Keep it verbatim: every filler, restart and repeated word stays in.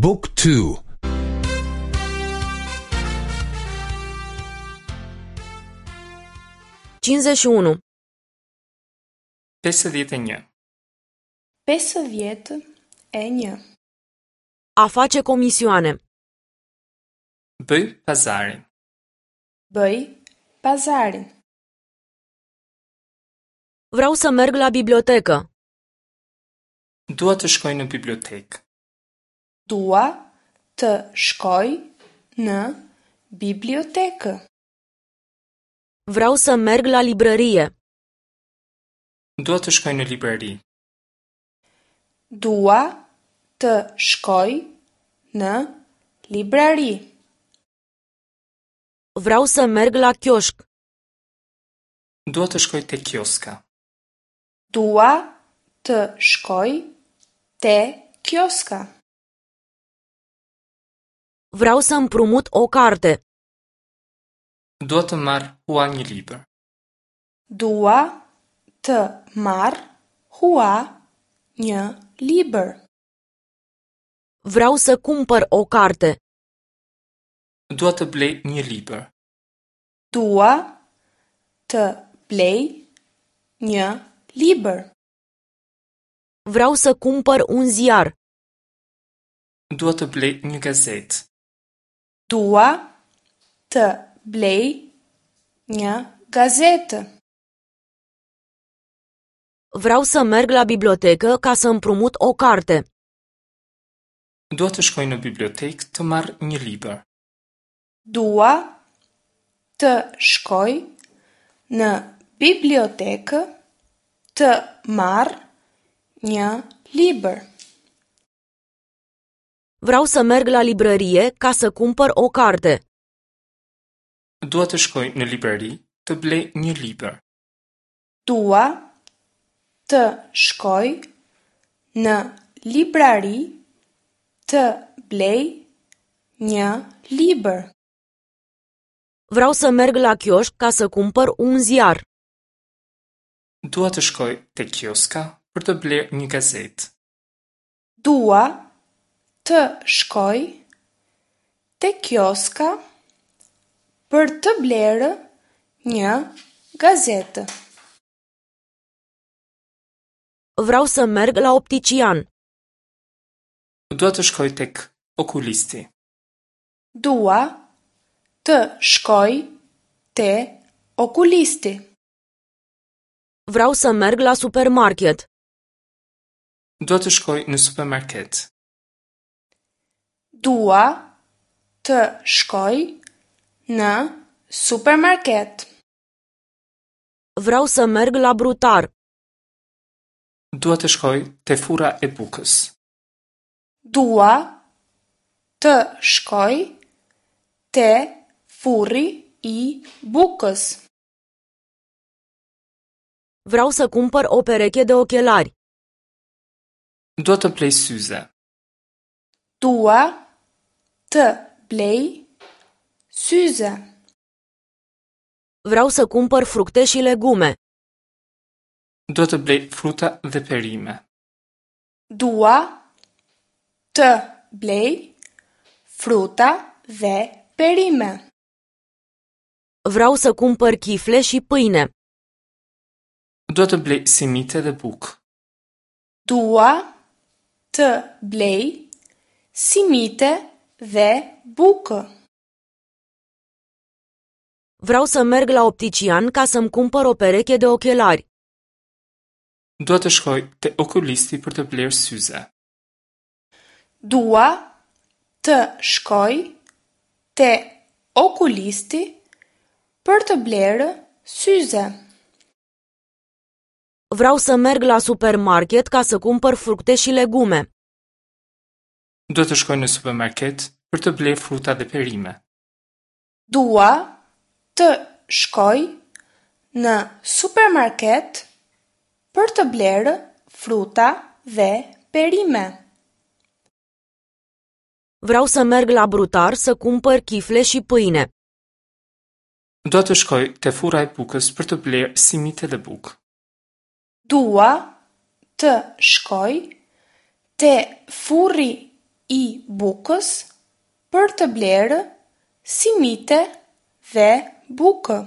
Book two. Cincizeci și unu. Pesëdhjetë e një. Pesëdhjetë e një. A face comisioane. Bëj pazarin. Bëj pazarin. Vreau să merg la bibliotecă. Dua të shkoj në bibliotekë. Dua të shkoj në bibliotekë. Vreau să merg la librărie. Dua të shkoj në librari. Dua të shkoj në librari. Vreau să merg la chioșc. Dua të shkoj te kioska. Dua të shkoj te kioska. Vreau să împrumut o carte. Dua të marr hua një libër. Dua të marr hua një libër. Vreau să cumpăr o carte. Dua të blej një libër. Dua të blej një libër. Vreau să cumpăr un ziar. Dua të blej një gazetë. Dua të blej një gazetë. Vreau să merg la bibliotecă ca să împrumut o carte. Dua të shkoj në bibliotekë të marr një libër. Dua të shkoj në bibliotekë të marr një libër. Vreau să merg la librărie ca să cumpăr o carte. Dua të shkoj në librari të blej një libër. Dua të shkoj në librari të blej një libër. Vreau să merg la chioșc ca să cumpăr un ziar. Dua të shkoj te kioska për të blerë një gazetë. Dua të shkoj te kioska për të blerë një gazetë. Vreau să merg la optician. Dua të shkoj tek okulisti. Dua të shkoj te okulisti. Vreau să merg la supermarket. Dua të shkoj në supermarket. Dua të shkoj në supermarket. Vreau să merg la brutar. Dua të shkoj te furra e bukës. Dua të shkoj te furri i bukës. Vreau să cumpăr o pereche de ochelari. Dua të blej syze. Dua të blej syze. Vreau să cumpăr fructe și legume. Dua të blej fruta dhe perime. Dua të blej fruta dhe perime. Vreau să cumpăr chifle și pâine. Dua të blej simite dhe bukë. Dua të blej simite dhe bukë. Vreau să merg la optician ca să-mi cumpăr o pereche de ochelari. Dua të shkoj te okulisti për të blerë syze. Dua të shkoj te okulisti për të blerë syze. Vreau să merg la supermarket ca să cumpăr fructe și legume. Dua të shkoj në supermarket për të blerë fruta dhe perime. Dua të shkoj në supermarket për të blerë fruta dhe perime. Vreau să merg la brutar să cumpăr chifle și pâine. Dua të shkoj te furra e bukës për të blerë simite dhe bukë. Dua të shkoj te furri i bukës për të blerë simite dhe bukë.